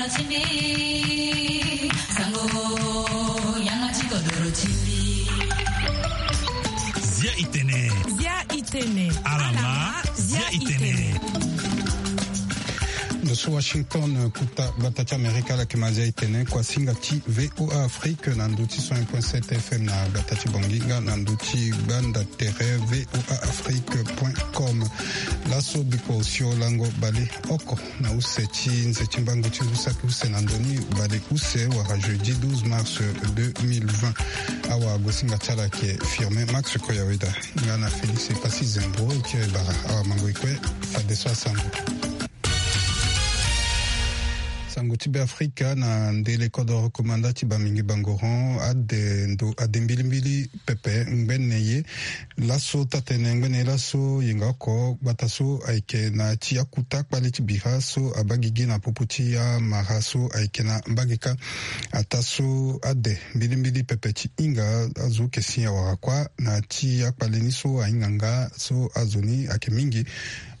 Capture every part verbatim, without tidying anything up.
Zia itene. Zia itene. Alama. Zia itene. Ndo so Washington, kuta gbata ti Amerika, ala yeke ma zia itene. Kuasinga ti V O A Afrique na ndo ti cent un point sept F M na gbata ti Bangui nga na ndo ti gbanda tere V O A Afrique point com. Laso bikua osio lango bale oko na use ti nze ti mbangu ti ngu saki use na ndo ni bale use wala jeudi douze mars deux mille vingt. Awagosinga ti ala ayeke Firmin Max Koyaweda nga na Félix Epassi Zembro ti Ebara. Awamango e kue fadeso asango. Sango ti Beafrika na ndele kodoro komanda ti Bamingi Bangoron ade ndo ade mbilimbili pepe ngbene ye. Laso tatene ngbene ye laso yenga oko gbata so ayeke na ti akuta kpale ti bira so abaa gigi na popo ti amara so ayeke na mbage kâ. Ataa so ade mbilimbili pepe ti hinga azo yeke si awara kuâ na ti akpale ni so ahinga nga so azo ni ayeke mingi.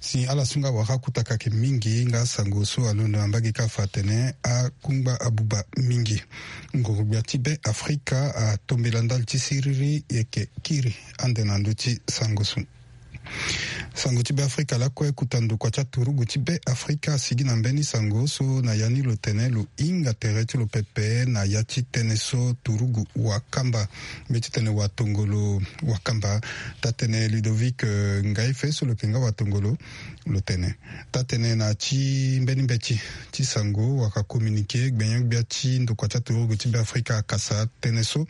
Si ala so nga awara akutaka ayeke mingi nga asango so alondo na mbage kâ afa atene akungba abuba mingi. Nguru-gbia ti Beafrika atombela ndali ti siriri e yeke kiri ande na ndö ti sango so. Sango ti Beafrika lakue kuta ndokua ti aturugu ti Beafrika asigi na mbeni sango so na ya ni lo tene lo hinga tere ti lo pepe na ya ti tënë so turugu wakamba, mbeti tene watongolo wakamba. Tatene Ludovic, eh, Ngaife so lo yeke nga watongolo lo tene. Tatene na ti mbeni mbeti ti sango wala communiqué, gbenyo-gbia ti ndokua ti aturugu ti Beafrika akasa tënë so.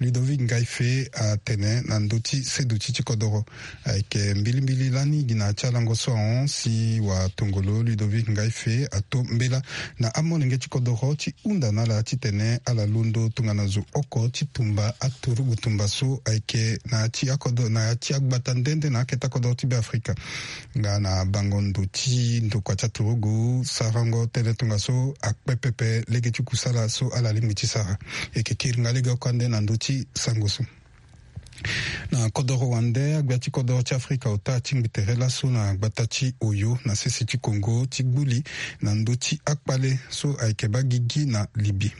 Ludovic Ngaife atene na ndö ti seduti ti kodoro ayeke mbilimbili lani gi na ya ti alango so ahon si watongolo Ludovic Ngaife ato mbela na amolenge ti kodoro ti hunda na ala titene ala londo tongana zo oko ti tumba aturugu tumba so ayeke na ya ti akodo na ya ti agbata nde nde na akete akodoro ti Beafrika. Nga na bango ndo ti ndokua ti aturugu sarango tënë tongaso akpe pepe lege ti kusala so ala lingbi ti sara. E yeke kiri nga lege oko ande na ndö ti sango so. Na kodoro wande, agbia ti kodoro ti Afrika ota atingbi tere laso na gbata ti Oyo na sese ti Congo ti gbu li na ndö ti akpale so ayeke baa gigi na Libye.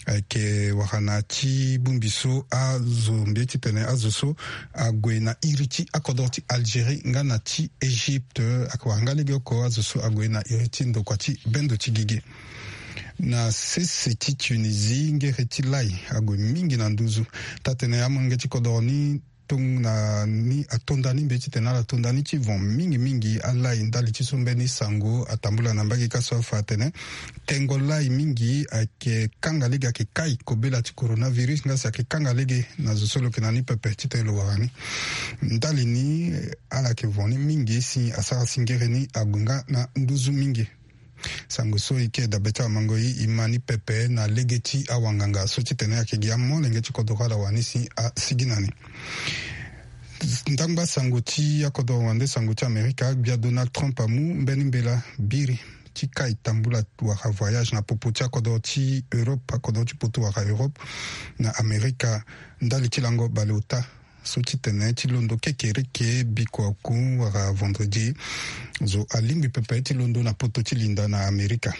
Ayeke wara na ti bongbi so azo mbi ye titene azo so ague na iri ti akodoro ti Algérie nga na ti Égypte, ayeke wara nga lege oko azo so ague na iri ti ndokua ti bendo ti gigi. Na sese ti Tunisie, ngere ti lai ague mingi na nduzu. Tatene amolenge ti kodoro ni tong na ni atonda ni mbi ye titene ala tonda ni ti vent mingi mingi alai ndali ti so mbeni sango atambula na mbage kâ so afa atene tengo lai mingi ayeke kanga lege, ayeke kai kobela ti coronavirus nga si ayeke kanga lege na zo so lo yeke na ni pepe titene lo wara ni. Ndali ni, eh, ala yeke vent ni mingi si asara si ngere ni ague nga na nduzu mingi. Sango so e yeke dabe ti awamango e, e ma ni pepe na lege ti awanganga so titene ayeke gi amolenge ti kodoro ala wara ni si asigi na ni. Ndangba sango ti akodoro wande sango ti Amerika, gbia Donald Trump amu mbeni mbela biri ti kai tambula wala voyage na popo ti akodoro ti Europe, akodoro ti poto wala Europe na Amerika, ndali ti lango baleota so titene ti londo kekereke bikua oku wala vendredi. Zo alingbi pepe ti londo na poto ti linda na Amerika.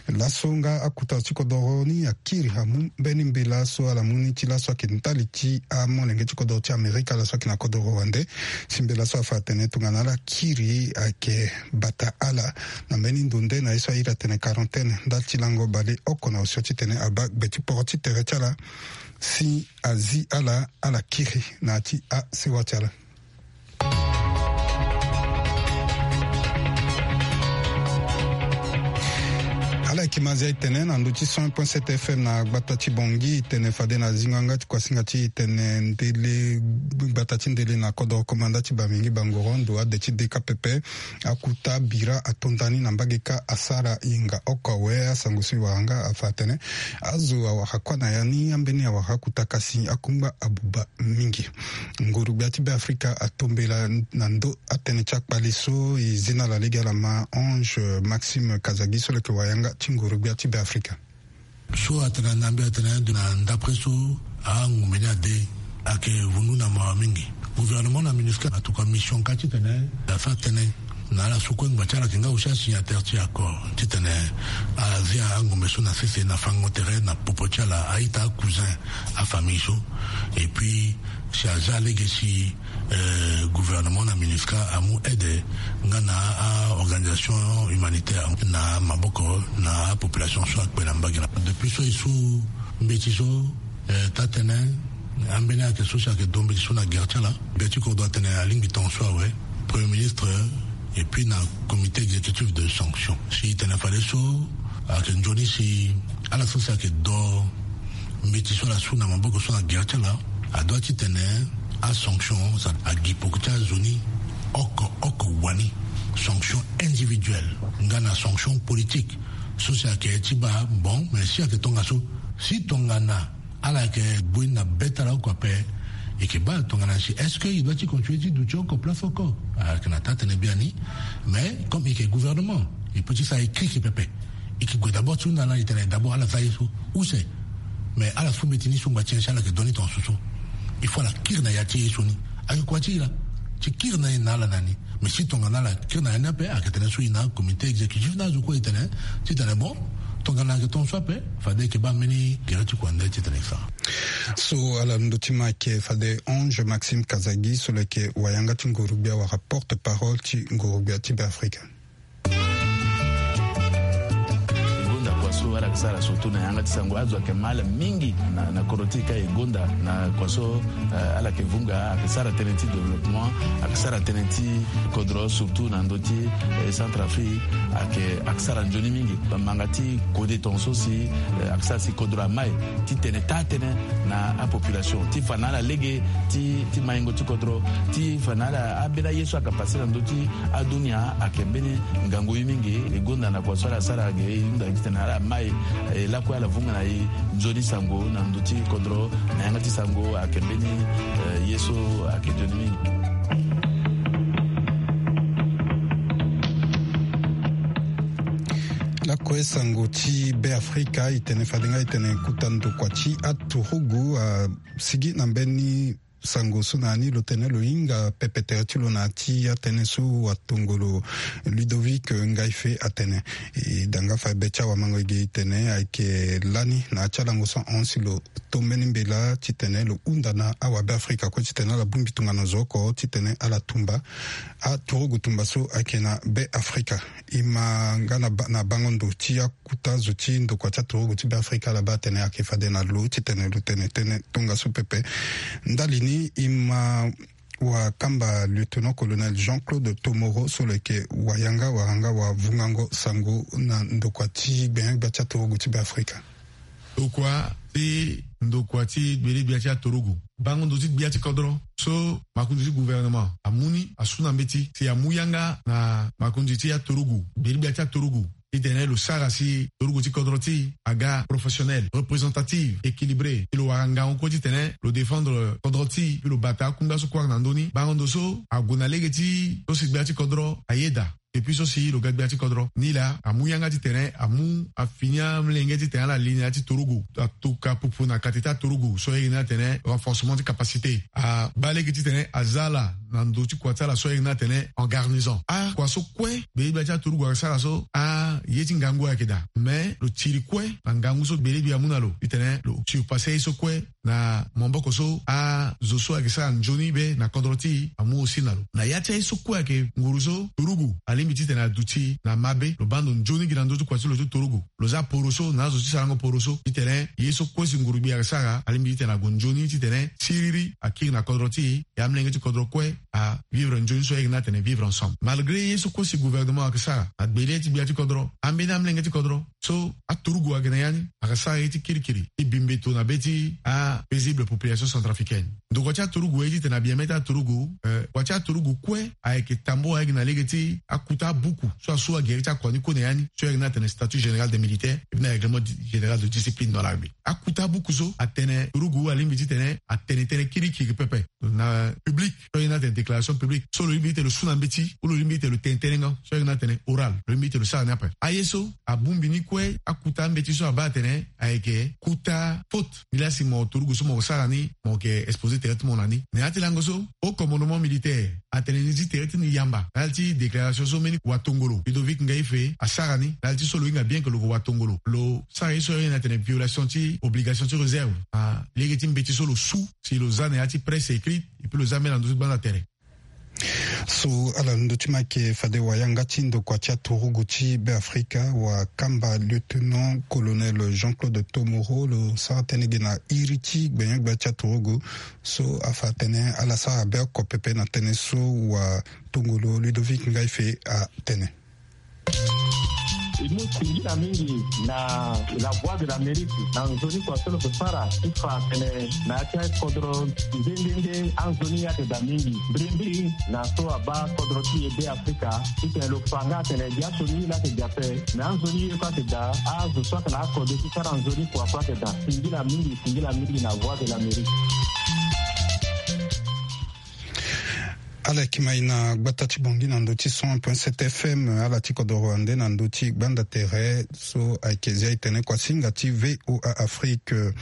Laso nga akuta ti kodoro ni akiri amu mbeni mbela so ala mu ni ti laso ayeke ndali ti amolenge ti kodoro ti Amerika laso ayeke na kodoro wande. Si mbela so afa atene tongana ala kiri ayeke bata ala na mbeni ndo nde na ye so airi atene quarantaine ndali ti lango baleoko na osio titene abaa gbe ti poro ti tere ti ala si azi ala, ala kiri na ya ti asewa ti ala. Ala yeke ma zia e tene na ndö ti cent un point sept F M na gbata ti Bangui, e tene fade na zingo yanga ti kuasinga ti e tene ndele, gbata ti ndele na kodoro komanda ti Bamingi Bangoro, ndo ade ti D K P P, akuta bira atonda ni na mbage kâ asara yenga oko awe. Asango so e wara nga afa atene azo awara kuâ na ya ni, ambeni awara akuta kasi akungba abuba mingi. Nguru-gbia ti Beafrika atombela na ndö atënë ti akpale so e zi na ala lege ala ma Ange Maxime Kazadi so lo yeke wayanga ti nguru-gbia ti Beafrika. So atene na mbi atene ndo na ndapre so angumbe ni ade ayeke vundu na mawa mingi. Gouvernement na MINUSCA atuka mission kâ titene asara tënë Na ala so kue ngba ti ala ayeke nga aussi asignataire ti accord titene ala zia angombe so na sese na fango tere na popo ti ala, a-ita, cousin, afamille so. Et puis si aza lege si gouvernement na MINUSCA amu aide nga na a-organisation humanitaire na maboko na apopulation so akpe na mbage na depuis so e su mbeti so. Taa-tene ambeni ayeke so si ayeke do mbeti so na gere ti ala. Gbia ti kodro atene alingbi tongaso awe, premier ministre et puis na comité exécutif de sanction si e tene fadeso ayeke nzoni si ala so si ayeke do mbeti so ala su na maboko so na gere ti ala adua titene asanction agi poko ti azo ni oko oko wani. Sanction individuelle nga na sanction politique so si ayeke ti baa bon, mais si ayeke tongaso, si tongana ala yeke bui na be ti ala oko ape, e yeke baa tongana si est-ce que e dua ti continue ti duti oko place oko? Ayeke na taa-tene biani. Mais comme e yeke gouvernement, e peut ti sara e kirikiri pepe. E yeke gue d'abord ti hunda na ala, e tene d'abord ala za ye so use. Mais ala so mbeti ni so ngba ti nyen si ala yeke do ni tongaso so? Il faut ala kiri na ya ti ye so ni. Ayeke kua ti e laa ti kiri na e na ala na ni. Mais si tongana ala kiri na ya ni ape, ayeke tene so e na comité exécutif na azo kue e tene titene bon, tongana ayeke tongaso ape, fade e yeke baa mbeni gere ti kua nde titene e sara. So ala ndö ti ma ayeke fade Ange Maxime Kazadi so lo yeke wayanga ti nguru-gbia wala porte-parole ti nguru-gbia ti Beafrika. E gonda kua so ala yeke sara surtout na yanga ti sango, azo ayeke mal mingi na, na kodro ti e ka e gonda na kua so, eh, ala yeke vunga, ayeke sara tënë ti développement, ayeke sara tënë ti kodro surtout na ndö ti, eh, Centrafrique, ayeke, ayeke sara nzoni mingi. Bamanga ti kode tongaso si, eh, ayeke sara si kodro amai titene taa-tënë na apopulation ti fa na ala lege ti, ti maingo ti kodro, ti fa na ala ambeni aye so ayeke pase na ndö ti adunia ayeke mbeni ngangu ye mingi. E gonda na kua so ala sara ge e hunda titene ala mai, eh, lakue ala vunga na e nzoni sango na ndö ti kodro na yanga ti sango ayeke mbeni, eh, ye so ayeke nzoni mingi. Lakue sango ti Beafrika, e tene fade nga e tene kuta ndokua ti aturugu asigi na mbeni sango so na ya ni lo tene lo hinga pepe tere ti lo na ya ti atënë so watongolo Ludovic Ngaife atene. E da nga fa be ti awamango-ege e tene ayeke lani na ya ti alango so ahon si lo to mbeni mbela titene lo hunda na awabeafrika kue titene ala bongbi tongana zo oko titene ala tumba aturugu tumba so ayeke na Beafrika. E ma nga na ba, na bango ndo ti akuta zo ti ndokua ti aturugu ti Beafrika ala baa atene ayeke fade na lo titene lo tene tënë tongaso pepe. Ndali ni e ma wakamba lieutenant-colonel Jean-Claude Tomoro so lo yeke wayanga wala nga wavungango sango na ndokua ti gbenyo-gbia ti aturugu ti Beafrika. Ndokua ti, ndokua ti gbele-gbia ti aturugu. Bango ndo ti gbia ti kodro so makonzi ti gouvernement amu ni asu na mbeti si amu yanga na makonzi ti aturugu, gbele-gbia ti aturugu, titene lo sara si turugu ti kodro ti e aga professionnel, représentative, équilibré, si lo wara ngangu kue titene lo défendre kodro ti e, si lo bata akungba so kue ayeke na ndö ni. Bango ndo so ague na lege ti so si gbia ti kodro ayeda. Depuis so si lo ga gbia ti kodro ni laa amu yanga titene amu afini amolenge titene ala li na ya ti turugu, atuka pupu na kati ti aturugu so ayeke ni atene renforcement ti capacité. Abaa lege titene aza ala na ndo ti kua ti ala so ayeke ni atene en garnison. Akua so kue gbele-gbia ti aturugu ayeke sara so aye ti ngangu ayeke daa, mais lo tiri kue na ngangu so gbele-gbia amu na lo titene lo surpasser ye so kue na maboko so azo so ayeke sara nzoni be na kodro ti e amu aussi na lo. Na ya ti aye so kue ayeke nguru so turugu alingbi titene aduti na mabe, lo baa ndo nzoni gi na ndö ti kua ti lo ti turugu. Lo za poroso na azo ti sarango poroso titene ye so kue si nguru-gbia ayeke sara alingbi titene ague nzoni titene siriri akiri na kodro ti e, e amolenge ti kodro kue avivre nzoni so ayeke ni atene vivre ensemble. Malgré ye so kue si gouvernement ayeke sara na gbele ti gbia ti kodro, ambeni amolenge ti kodro so aturugu ayeke na ya ni ayeke sara ye ti kirikiri ti bi mbeto na be ti apaisible population centrafricaine. Ndokua ti aturugu aye titene abia mê ti aturugu, eh, kua ti aturugu kue ayeke tambour ayeke na lege ti akuta abuku so asu agere ti akua ni kue na ya ni so ayeke ni atene statut général des militaires et puis na règlement général de discipline dans l'armée. Akuta abuku so atene turugu alingbi titene atene tënë kirikiri pepe na public so ayeke ni atene déclaration publique so lo lingbi titene lo su na mbeti ou lo lingbi titene lo tene tënë nga so ayeke ni atene oral, lo lingbi titene lo sara ni ape. Aye so abongbi ni kue akuta mbeti so abaa atene ayeke kuta faute. Nilaa si mo turugu so mo sara ni, mo yeke exposer tere ti mo na ni. Na ya ti lango so, haut commandement militaire atene ni zi tere ti ni yamba na ya ti déclaration so mbeni watongolo Ludovic Ngaife asara ni na ya ti so lo hinga bien ke lo ke watongolo, lo sara ye so aye ni atene violation ti obligation ti réserve na lege ti mbeti so lo su si lo za na ya ti presse écrite, et puis lo za mbeni na ndö ti gbanda tere. So ala londo ti ma yeke fade wayanga ti ndokua ti aturugu ti Beafrika, wakamba lieutenant colonel Jean-Claude Tomoro, lo sara tënë ge na iri ti gbenyo-gbia ti aturugu so afa atene ala sara beoko pepe na tënë so watongolo Ludovic Ngaife atene. E mu singila mingi na La Voix de l'Amérique na nzoni kua so lo ke sara ti fa atene na ya ti akodro nde nde nde anzoni ye ayeke daa mingi mbirimbiri na so abaa kodro ti e Beafrika, titene lo fa nga atene biaso ni la yeke daa ape, me anzoni ye kue ayeke daa, azo so ayeke na akode ti sara nzoni kua kue ayeke daa. Singila mingi, singila mingi na Voix de l'Amérique. Ala yeke mai na gbata ti Bangui na ndö ti cent un point sept F M, ala ti kodoro ande na ndö ti gbanda tere so ayeke zia e tene kuasinga ti V O A Afrique.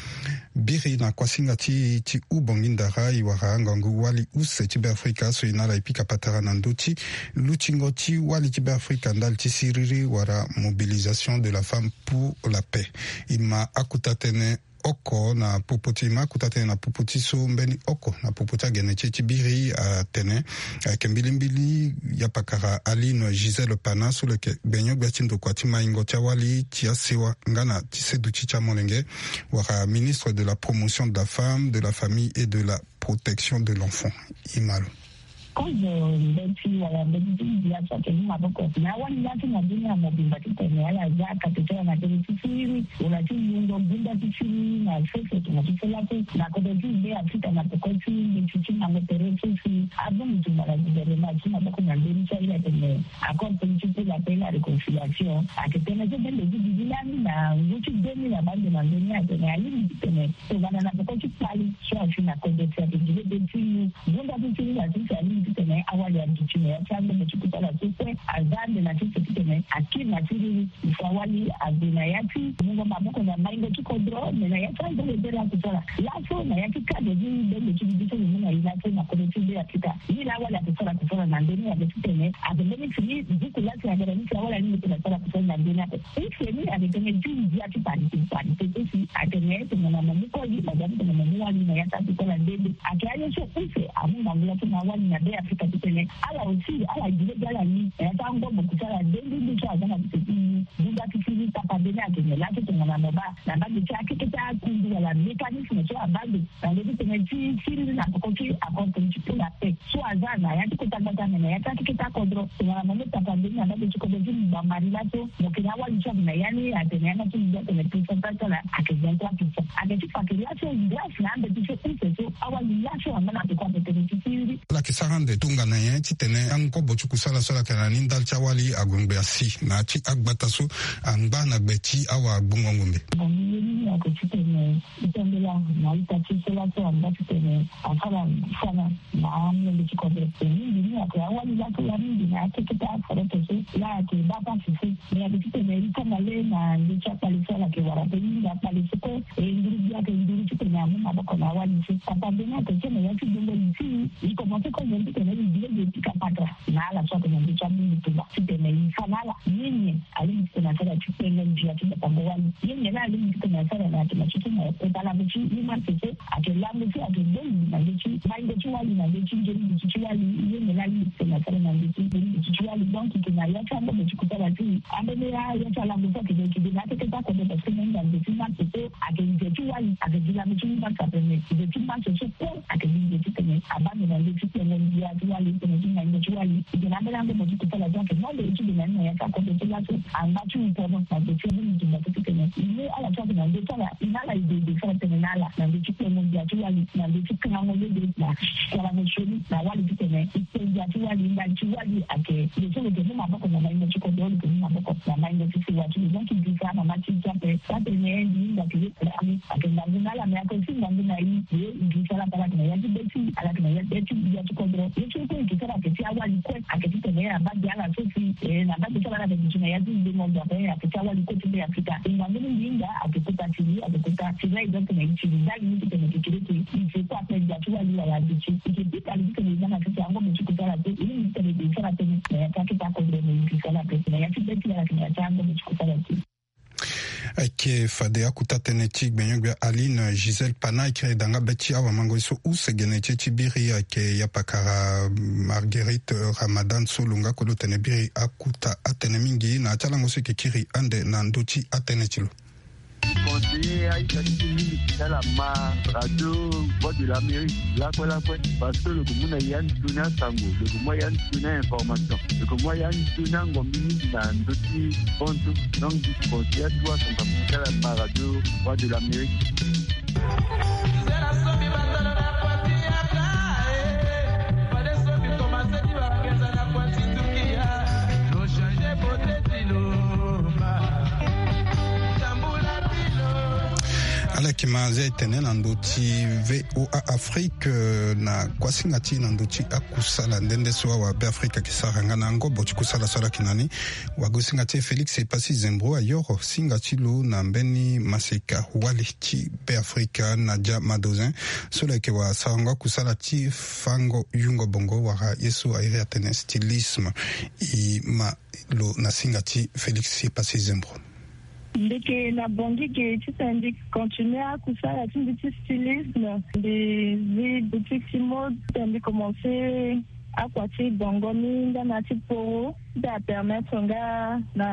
Biri na kuasinga ti, ti hou Bangui ndara, e wara ngangu wali use ti Beafrika so e na ala e pika patara na ndö ti lutingo ti wali ti Beafrika ndali ti siriri wala mobilisation de la femme pour la paix. E ma akuta tënë oko na popo ti, e ma akuta tënë na popo ti so mbeni oko na popo ti agene ti e ti biri atene ayeke mbilimbili yapakara Aline Gisèle Pana so lo yeke gbenyo-gbia ti ndokua ti maingo ti awali ti asewa nga na ti seduti ti amolenge, wala ministre de la promotion de la femme, de la famille et de la protection de l'enfant. E ma lo. Kozo mbeti wala mbeti ti ndia so ayeke mu maboko na awali laa ti na dunia mobimba titene ala za kate ti ala na tere ti siriri wala ti lungo gunda ti siriri na sese tongana ti so laso na kodro ti Beafrika na peko ti mbeti ti mango tere so si abongbi tumba na guvernema ti maboko na mbeni so aye atene accord politique pour la paix et la réconciliation. Ayeke tënë so bende ti duti lani na ngu ti deux mille abaa ande na mbeni atene alingbi titene tongana na peko ti kpale so asi na kodro si ayeke gi lege ti mu gunda ti siriri na sese alingbi titene awali aduti na ya ti angombo ti kusala so kue aza ande na sese titene akiri na siriri. Il faut awali ague na ya ti mungo maboko na maingo ti kodro, me na ya ti angombo bere akusala laso na ya ti cadre ti bendo ti duti so lo mu na e laso na kodro ti Beafrika. Ni laa awali akusala kusala na ndö ni ayeke titene ayeke mbeni fini buku laa si ayeke na ni si awali alingbi titene asara kusala na ndö ni ape. Use ni ayeke tënë ti ndia ti parité, parité so si atene tongana mo mu koli mo za titene mo mu wali na ya ti akusala nde nde. Ayeke aye so use amu ngangu laso na awali na Beafrika titene ala aussi ala gi lege ala ni na ya ti angombo kusala nde nde nde so aza na kete ti gunda ti siriri. Tapande ni ayeke nyen laso tongana mo baa na mbage ti akete ti akundu wala mécanisme so abaa ande na ndö ti tënë ti siriri na peko ti accord politique pour la paix so aza na ya ti kota gbata me na ya ti akete ti akodro. Tongana mo mu tapande ni na mbage ti kodro ti Bambari laso mo yeke na awali so ayeke na ya ni atene yanga ti mo gi atene pourcentage so ala ayeke vingt-trois pour cent. Ayeke ti fa ke laso grâce na ambeti so use so awali laso angba na peko ape tënë ti siriri. Ala yeke sara ande tongana nyen titene angobo ti kusala so ala yeke na ni ndali ti awali ague ngbe asi na ya ti agbata so angba na gbe ti awagbongo ngombe. Bon, ye ni ayeke titene e tembela na ita ti e so laso angba titene asara sana na amolenge ti kodro. E mingi ni ayeke awali laso laa mingi na akeketa aforete so laa ayeke baa pasi so. Me ayeke titene e kanga le na ndö ti akpale so ala yeke wara pe mingi akpale so kue. E nduru gbia ayeke nduru titene amu maboko na awali so. Tapande ni ayeke so na ya ti gbongo li ti e, e komanse kue nyen titene e gi lege e pika patara na ala so ayeke na ndö ti abongbi tumba titene e fa na ala ni nyen alingbi titene asara ti kpengo ndia ti batango wali. Ye nyen la alingbi titene asara na yatene so so na kota lango ti human so so ayeke lango so ayeke bongbi na ndö ti maingo ti wali na ndö ti nzoni duti ti wali. Ye nyen la alingbi titene asara na ndö ti nzoni duti ti wali. Donc e yeke na ya ti angombo ti kusala ti e ambeni ya ya ti alango so ayeke gue e yeke gue na akeketa kodro parce que na hinga nze ti human so so ayeke nze ti wali ayeke gi lango ti human so ape me nze ti human so so kue ayeke gi nze titene abaa ande na ndö ti kpengo ndia ti wali titene ti maingo ti wali. E yeke na ambeni angombo ti kusala so ayeke mu ande ti gue na ni na ya ti akodro so laso angba ti upono na nze ti abongbi tumba so titene e mu Ala ti ake na ndö ti ala, e na ala e de e de sara tënë na ala na ndö ti kpengo ndia ti wali, na ndö ti kangango lege na kalango sioni na wali titene e kpe ndia ti wali, ndali ti wali ayeke. Lo so lo yeke mu maboko na maingo ti kodro, lo yeke mu maboko na maingo ti sewa ti lo. Donc e giri sara mama ti e ti ape. Atene mbi hinga ke ye kula ni ayeke ngangu na ala, me ayeke aussi ngangu na e. Ye e giri sara ape, ala yeke na ya ti be ti, ala yeke na ya ti be ti kodro. Ye so kue e giri sara ayeke ti awali kue, ayeke titene abaa gi ala so si, eh, na abaa gi ti ala, ala yeke duti na ya ti ndengo ndo ape, ayeke ti awali kue ti Be Afrika. E ngangu ni mbi hinga ayeke kota ti li, ayeke kota ti lei, donc na e ti li ndali ni titene e yeke kiri ti e zo kue ape ndia ti wali wala aduti. E yeke bika li titene e za na sese angobo ti kusala te, e lingbi titene e de sara tënë na ya ti akete akodro, me e giri sara ape na ya ti be ti ala, na ya ti angobo ti kusala te. Ayeke fade akota tënë ti gbenyo-gbia Aline Gisèle Pana, e kiri da nga be ti awamango ye so use gene ti e ti biri ayeke yapakara Marguerite Ramadan so lo nga kue lo tene biri akota atënë mingi na ya ti alango so e yeke kiri ande na ndö ti atënë ti lo. Conseiller aita ti mingi ti ala ma radio Voix de l'Amérique lakue lakue, parce que lo yeke mu na ya ni toni asango, lo yeke mu ya ni toni a-information, lo yeke mu ya ni toni angombi mingi na ndö ti bonzo. Donc mbi conseiller atu asango amu ti ala ma radio Voix de l'Amérique. Ala yeke ma zia e tene na ndö ti V O A Afrique, eh, na kuasinga ti e na ndö ti akusala nde nde so awa Be Afrika ayeke sara nga na ngobo ti kusala so ala yeke na ni. Wagosinga ti e Félix Epassi Zembro ayoro singa ti lo na mbeni maseka wali ti Be Afrika Nadia Madozin so lo yeke wara sarango akusala ti fango yungo bongo wala ye so a iri atene stylisme. E ma lo na singa ti Félix Epassi Zembro. Mbi yeke na Bangui ge titene mbi continue akusala ti mbi ti stylisme. Mbi zi boutique ti mode titene mbi commence akua ti bongo ni nga na ti poro ti apermettre nga na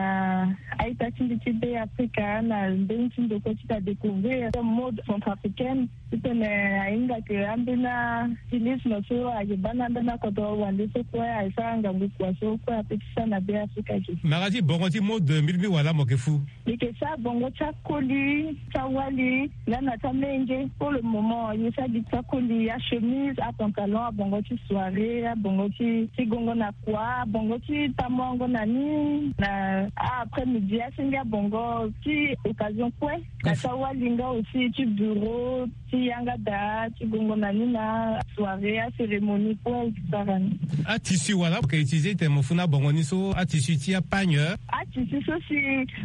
a-ita ti mbi ti Be Afrika na mbeni ti ndokua ti adécouvrir mode centrafricaine. Titene ahinga ke ambeni astylisme so ayeke baa na ambeni akodro wande so kue ayeke sara ngangu kua so kue ape ti sara na Be Afrika ge. Mara ti bongo ti mode mbi lingbi wala mo yeke fu? Mbi yeke sara bongo ti akoli, ti awali nga na ti amenge. Pour le moment mbi sara gi ti akoli, achemise, apantalon, abongo ti soirée, abongo ti, ti gongo na kua, abongo ti tamongo na ni na a-après-midi, asenge abongo ti occasion kue. Na ti awali nga aussi ti bureau, ti yanga daa, ti gongo na ni na soirée, acérémonie kue e sara ni. Atissu wala mo yeke utiliser titene mo fu na bongo ni so, atissu ti apagne? Atissu so si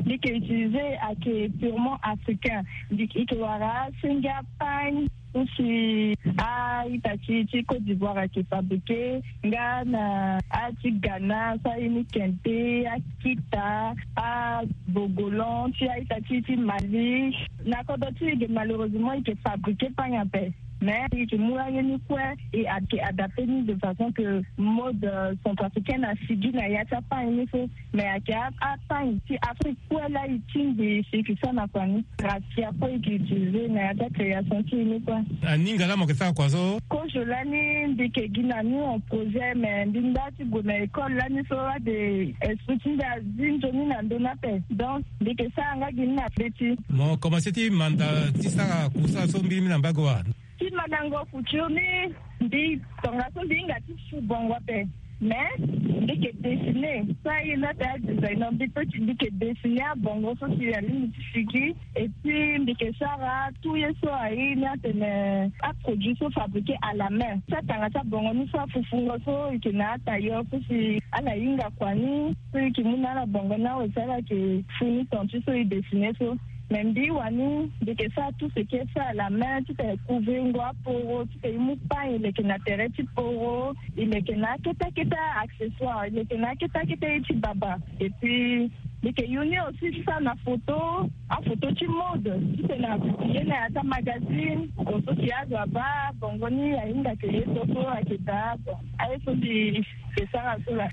mbi yeke utiliser ayeke purement africain. Mbi yeke wara asenge apagne so si a-ita ti, ti Côte d'Ivoire ayeke fabriquer, nga na a-ti Ghana so a ye ni kente, akita, abogolan ti a-ita ti, ti Mali. Na kodro ti e ge malheureusement e yeke fabriquer pagne ape. Mais e yeke mu aye ni kue e yeke adapter ni de façon que mode, euh, centrafricaine asigi na ya ti apagne ni so. Mais ayeke a, apagne ti Afrique kue laa e tingbi si e yeke sara na kua ni. Raffia kue e yeke utiliser na ya ti acréation ti e ni kue. Aninga laa mo yeke sara kua so? Kozo lani mbi yeke gi na ni en projet, mais mbi nda ti gue na école lani so ade esprit ti mbi azi nzoni na ndö ni ape. Donc mbi yeke sara nga gi ni na be ti. Mo commencer ti manda ti sara kusala so mbirimbiri na mbage wa? Ti mandango couture ni, mbi tongaso mbi hinga ti su bongo ape. Mais mbi yeke dessiner so aye ni ate adesigner, mbi peut ti, mbi yeke dessiner abongo so si alingbi ti sigi. Et puis mbi yeke sara tout ye so aye ni atene aproduit so fabriqué à la main. Ti atanga ti abongo ni so afufungo so e yeke na atailleur so si ala hinga kua ni so e yeke mu na ala bongo ni awe si ala yeke fu ni ton ti so e dessiner so. Mais mbi wani mbi yeke sara tout ce qui est fait à la main, titene e couvrir ngo aporo, titene e mu pagne e leke na tere ti poro, e leke na akete akete accessoire, e leke na akete akete ye ti baba. Et puis mbi yeke yu ni aussi ti sara na photo, aphoto ti mode, titene a publier na ya ti amagazine. Bon, so si azo abaa bongo ni ahinga ke ye so so ayeke daa. Bon, aye so mbi yeke sara so laa.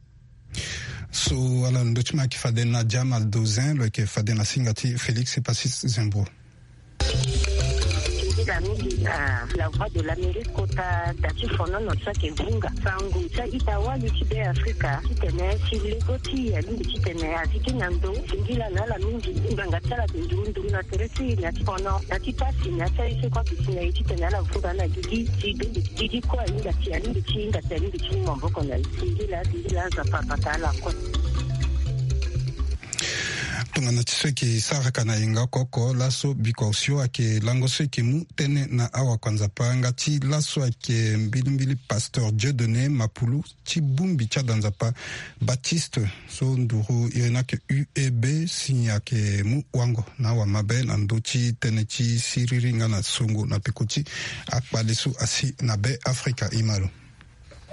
So ala ndö ti mo ayeke fade na Jamal Dozin, lo yeke fade na singa ti Félix Epassi Zembro. Mingi na La Voix de l'Amérique kota da ti fonono so ayeke vunga sango ti a-ita wali ti Be Afrika titene si lego ti e alingbi titene a zi gi na ndo singila na ala mingi. Ngbanga ti ala ayeke nduru nduru na tere ti e na ti fono na ti pasi na ya ti aye so kue ayeke si na e titene ala vunga na gigi ti gigi kue ahinga ti alingbi ti hinga ti alingbi ti mu maboko na e. Singila singila Nzapa abata ala kue. Tongana ti so eke saraka na yenga oko oko laso biko osio ayeke lango so eke mu tënë na awakuanzapa nga ti laso ayeke mbilimbili pasteur Dieudonné Mapulu ti bongbi ti adanzapa Baptiste so nduru iri ni ayeke U E B si ayeke mu wango na awamabe na ndö ti tënë ti siriri nga na songo na peko ti akpale so asi na Be Afrika. Imalo.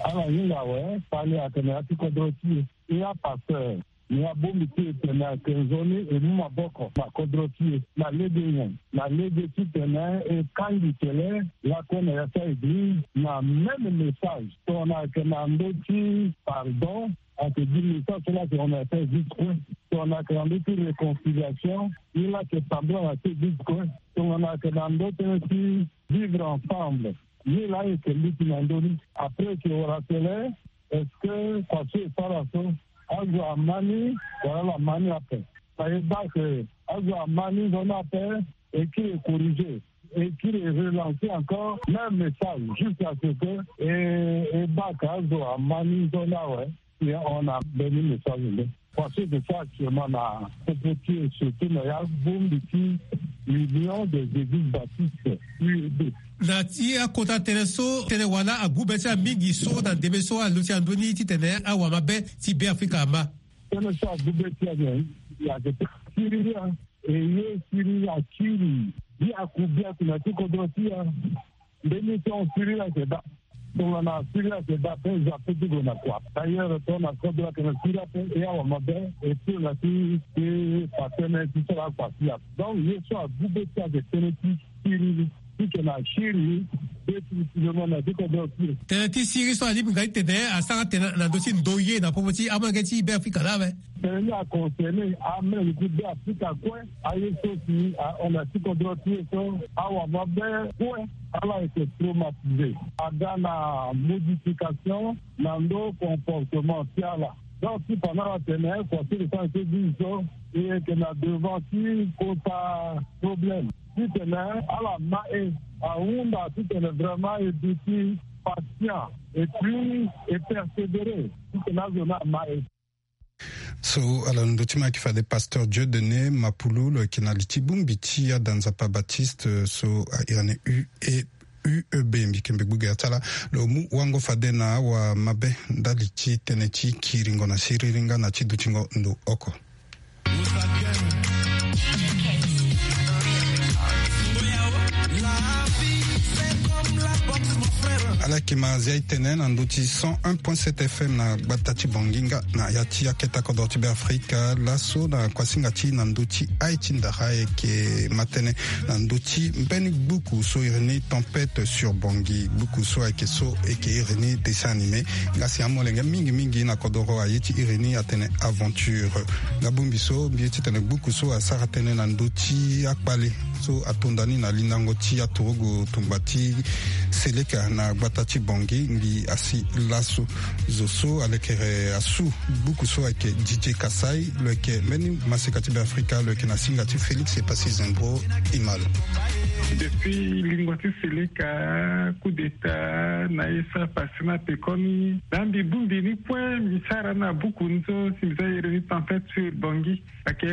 Ala hinga awe fani atene ya ti kodro ti e. E apasteur ni abongbi ti e tene ayeke nzoni e mu maboko na kodro ti e na lege nyen? Na lege titene e kangbi kele lakue na ya ti a-eglize na même message. Tongana ayeke na ndö ti pardon, ayeke gi message so la tongana ayeke vite kue. Tongana ayeke na ndö ti réconciliation, ye la ayeke tambula na ti vite kue. Tongana ayeke na ndö tënë ti vivre ensemble, ye la ayeke luti na ndö ni. Après eke wara tele, est-ce que kua so e sara so azo ama ni wala ala ma ni ape? Na e baa ke azo ama ni nzoni ape, e kiri e corriger, e kiri e relancer encore même message jusqu'à ce que e e baa ke azo ama ni nzoni awe. Si on a mbeni message nde. Parce que c'est ça actuellement na popo ti e, surtout na ya bongbi ti Union des Églises Baptistes, U E B. Na ti akota tënë so tënë wala agu be ti ala mingi so na ndembe so aluti na ndö ni titene awamabe ti Be Afrika ama. Tënë so agu be ti ala nyen? Ayeke tënë siriri. E ye siriri akiri biaku biaku na ti kodro ti e. Mbeni so siriri ayeke daa. Tongana siriri ayeke daa ape, e za pe ti gue na kua. D'ailleurs tongana kodro ayeke na siriri ape, e awamabe e pio na ti e pa tënë ti sara akua ti e. Donc ye so agu be ti e ayeke tënë ti siriri. Ti yeke na siriri be ti siriri mo na ti kodro ti e. Tënë ti siriri so alingbi nga ti tene asara tene na ndö ti ndoye na popo ti amolenge ti Be Afrika laa awe. Tënë ni aconcerné amolenge ti Be Afrika kue. Aye so si ahon na ti kodro ti e so awamabe kue ala yeke traumatisé. Aga na modification na ndö comportement ti ala. Donc ti fa na ala tene kua ti le sens ti bizi so e yeke na devant ti kota problème. Titene ala ma e ahunda titene vraiment e duti patient et puis e persévérer titene azo ni ama e. So ala londo ti ma ayeke fade pasteur Dieudonné Mapulu, lo yeke na li ti bongbi ti adanzapa Baptiste so a iri ni U E, U E B. Mbi yeke mbi gbu gere ti ala lo mu wango fade na awamabe ndali ti tënë ti kiringo na siriri nga na ti dutingo ndo oko. Ala yeke ma zia e tene na ndö ti cent un point sept F M na gbata ti Bangui nga na ya ti akete kodro ti Be Afrika. Laso na kuasinga ti na ndö ti aye ti ndara e yeke ma tënë na ndö ti mbeni gbuku so iri ni Tempête sur Bangui. Gbuku so ayeke so e yeke iri ni dessin animé. Nga si amolenge mingi mingi na kodoro aye ti iri ni atene aventure. Nga bongbi so mbi ye titene gbuku so asara tënë na ndö ti akpale so atonda ni na lindango ti aturugu tongba ti Seleka na gbata ti Bangui, mbi asi laso. Zo so alekere asu gbuku so ayeke Didier Kassai, lo yeke mbeni maseka ti Be Afrika, lo yeke na singa ti Félix Epassi Zembro. Imalo. Depuis lingua ti Seleka, coup d'état na ye so apase na pekoni, na mbi bongbi ni kue mbi sara na buku ni so si mbi za iri ni Tempête sur Bangui. Ayeke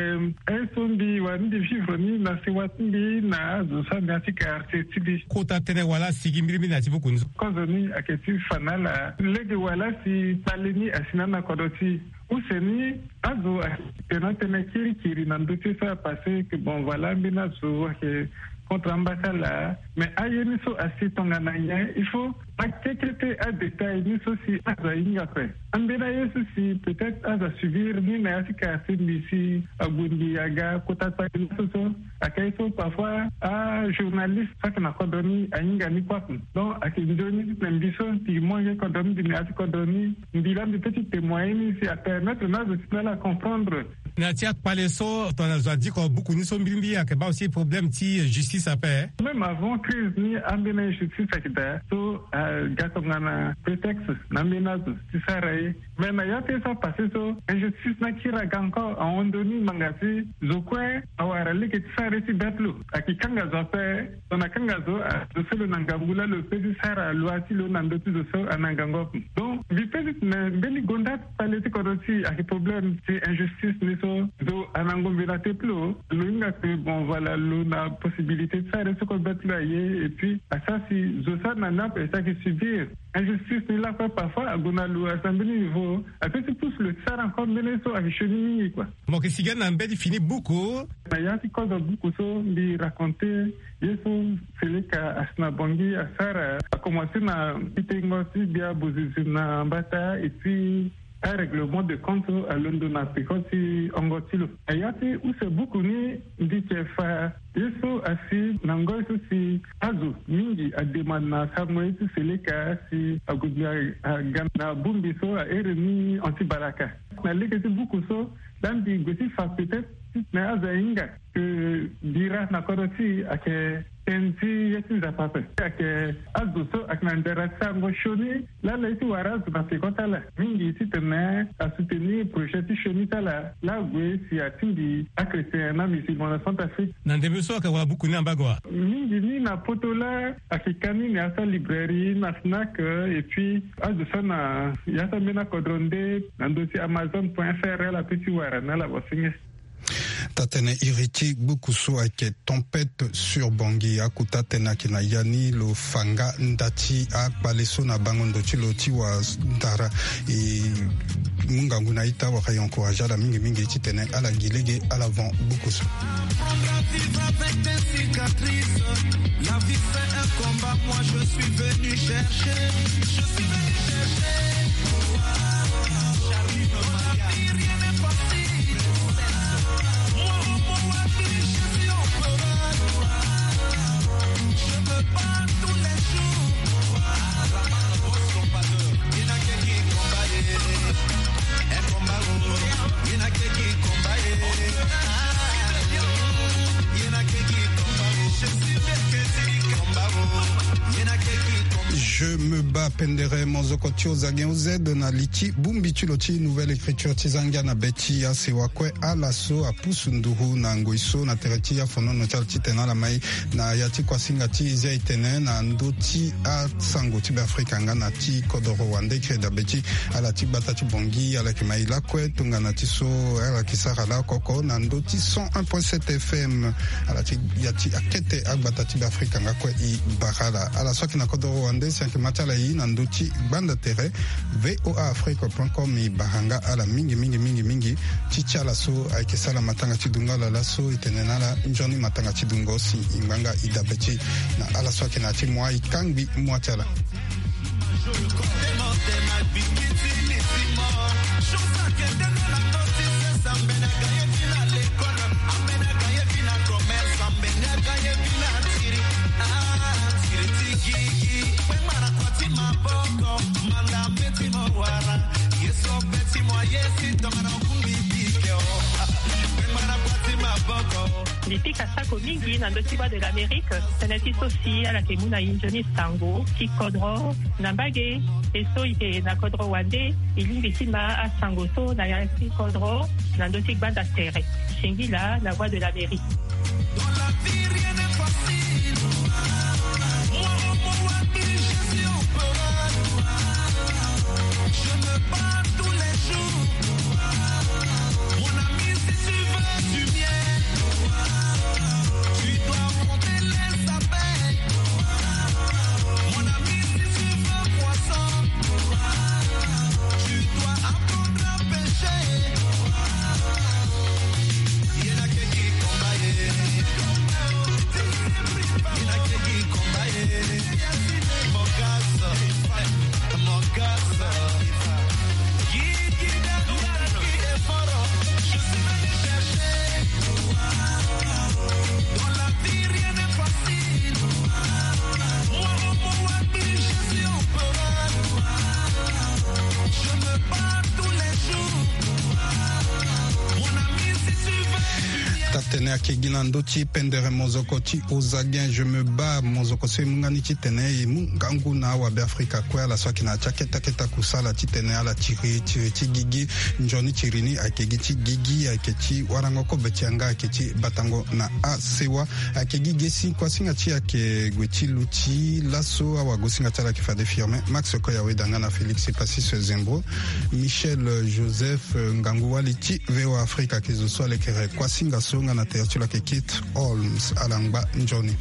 aye so mbi wara ni mbi vivre ni na sewa ti mbi na azo so ande na ya ti quartier ti mbi. Kota tënë wala asigi mbirimbiri na ya ti buku ni so. Kozo ni ayeke ti fa na ala lege wala si kpale ni asi na ala na kodro ti e. Use ni azo ayeke na tënë kirikiri na ndö ti ye so apase que bon voilà mbeni azo ayeke contre amba ti ala. Mais aye ni so asi tongana nyen? Il faut akekete adétail ni so si azo ahinga ape. Ambeni aye so si peut-être azo asubir ni na ya ti quartier mbi si ague mbi aga kota kpale ni so so. Ayeke aye so parfois ajournaliste so ayeke na kodro ni ahinga ni kue ape. Donc ayeke nzoni na mbi so mbi mu yanga kodro ni mbi na ya ti kodro ni. Mbi laa mbi peut ti témoigner ni si apermettre na azo ti na ala acomprendre. Na ya ti akpale so tongana zo adiko buku ni so mbilimbili ayeke baa aussi problème ti justice ape. Même avant crise ni, ambeni injustice ayeke daa so aga tongana prétexte na ambeni azo ti sara ye. Mais na ya ti ye so apassé so, injustice ni akiri aga encore, ahon ndoni ngbanga si zo kue awara lege ti sara ye ti bête lo. Ayeke kanga zo ape. Tongana akanga zo, ah, zo so lo na ngangu laa lo pe ti sara loi ti lo na ndö ti zo so ana ngangu ape. Donc mbi pe ti tene mbeni gonda ti kpale ti kodro ti e ayeke problème ti injustice ni so zo ana ngombe na te ti lo. Lo hinga ke bon, voilà, lo na possibilité ti sara ye so kue bête lo aye. Et puis asara si zo so ana ni ape si ayeke subir injustice ni lakue. Parfois ague na lo asi na mbeni niveau, ape ti pousse lo ti sara encore mbeni ye so ayeke sioni mingi kua. Mo yeke si ga na mbeni fini buku. Na ya ti kodro buku so mbi raconté ye so Seleka asi na Bangui asara, akomanse na ti tengo ti gbia bozizi na mbata, et puis arèglement de compte alondo na peko ti hongo ti lo. Na ya ti use buku ni, mbi yeke fa ye so asi na ngoi so si azo mingi ademande na asango ye ti Seleka si ague gbia aga na bongbi so ahere ni Anti Balaka. Na lege ti buku so laa mbi gue ti fa peut-être ti tene azo ahinga ke bira na kodro ti e ayeke tënë ti ye ti Nzapa ape. Ayeke azo so ayeke na ndara ti sarango sioni laa ala ye ti wara azo na peko ti ala mingi ti tene asoutenir projet ti sioni ti ala laa ague si atingbi achrétien na musulman na Centrafrique. Na ndembe so ayeke wara buku ni na mbage wa? Mingi ni na poto laa ayeke ka ni na ya ti alibrairie na Fnac, et puis azo so na ya ti ambeni akodro nde na ndö ti Amazon point F R ala pe ti wara na ala wasenge. Taa-tënë iri ti gbuku so ayeke Tempête sur Bangui. Akota tënë ayeke na ya ni, lo fa nga nda ti akpale so na bango ndo ti lo ti wa ndara. E mu ngangu na ita wala e encouragé ala mingi mingi titene ala gi lege ala van gbuku so. Apprendre à vivre avec des cicatrices. La vie fait un combat, moi je suis venu chercher. Je suis venu chercher. Pour la vie, rien n'est facile. Moi, au mot à lui, je suis au pleurer. Je me bats tous les jours. Je me bats pendere mozoko ti ozagen oz na li ti bongbi ti lo ti Nouvelle Écriture ti zangia na be ti asewa kue ala so apusu nduru na ngoi so na tere ti afonono ti ala titene ala mai na ya ti kuasinga ti zia etene na ndö ti asango ti Beafrika nga na ti kodoro wande. Kreda be ti ala ti gbata ti Bangui ala yeke mai lakue tongana ti so ala yeke sara laoko oko na ndö ti cent un point sept F M. Ala ti ya ti akete agbata ti Beafrika nga kue e bara ala. Ala so ayeke na kodoro wande si ayeke ma ti ala e na ndö ti gbanda tere V O A Afrique point com, e bara nga ala mingi mingi mingi mingi. Ti ti ala so ayeke sara matanga ti dungo ala laso, e tene na ala nzoni matanga ti dungo si e ngba nga e dabe ti na ala so ayeke na ya ti moi, e kangbi moi ti ala. Mbi pika sako mingi na ndö ti Voix de l'Amérique, tënë ti so si ala yeke mu na e nzoni sango ti kodro na mbage. E so e yeke na kodro wande, e lingbi ti ma asango so na ya ti kodro na ndö ti gbanda tere. Singila na Voix de l'Amérique. Dans la vie, rien n'est facile. Moi, au mot à lui, je suis au pleurer. Je me bats tous les jours. Mon ami, si tu veux du bien, tu dois affronter les abeilles. Mon ami, si tu veux poisson, tu dois apprendre à pêcher. Ayeke gi na ndö ti pendere mozoko ti Ozagen, je me bats, mozoko so e mu nga ni titene e mu ngangu na awabe Afrika kue, ala so ayeke na ya ti akete akete akusala titene ala tiri tiri ti gigi. Nzoni tiri ni ayeke gi ti gigi, ayeke ti warango kobe ti yanga, ayeke ti batango na asewa. Ayeke gi ge si kuasinga ti e ayeke gue ti lu ti laso. Awagosinga ti ala ayeke fade Firmin Max Koya Weda nga na Félix Passis Zembro. Michel Joseph, eh, ngangu wali ti V O A Afrika ayeke zo so alekere kuasinga so nga na tere ti lo ayeke Kate Holmes. Ala ngba nzoni.